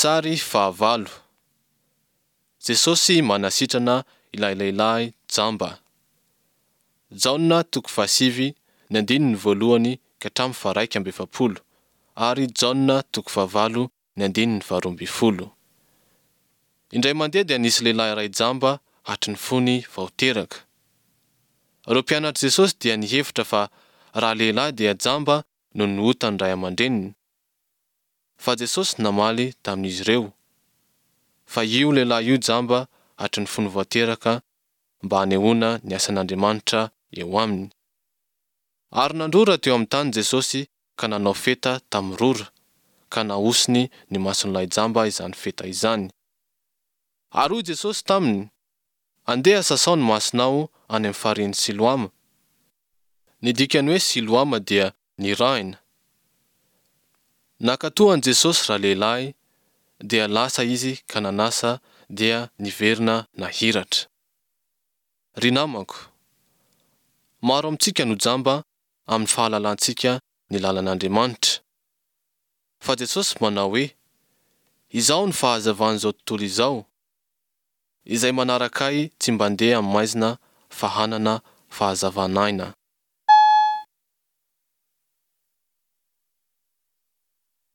Sary fahavalo. Jesosy manasitrana ilay lehilahy jamba. Jaona toko fahasivy ny andininy voalohany ka hatramin'ny faharaika amby efapolo ary Jaona toko fahavalo ny andininy faharoa ambin'ny folo. Indray mandeha dia nisy lehilahy iray jamba hatry ny fony vao teraka. Ireo mpianatr'i Jesosy dia nihevitra fa raha lehilahy dia jamba noho ny otan'ny ray aman-dreniny. Fa Jesosy namaly tamin'izy ireo, fa io lehilahy io jamba hatry ny fony vao teraka mba hanehoana ny asan'Andriamanitra eo aminy. Ary nandrora teo amin'ny tany Jesosy ka nanao feta tamin'ny rora, ka nahosiny ny mason'ilay jamba izany feta izany. Ary hoy Jesosy taminy, Andeha sasao ny masonao any amin'ny farihin'i Siloama. Ny dikan'ny hoe Siloama dia nirahina. Nankatò an'i Jesosy ralehilahy, dia lasa izy ka nanasa dia niverina nahiratra. Ry namako, maro amintsika no jamba amin'ny fahalalantsika ny lalan'Andriamanitra. Fa Jesosy manao hoe, Izaho no fahazavan'izao tontolo izao. Izay manaraka Ahy tsy mba ndeha amin'ny maizina fa hanana fahazavan'aina.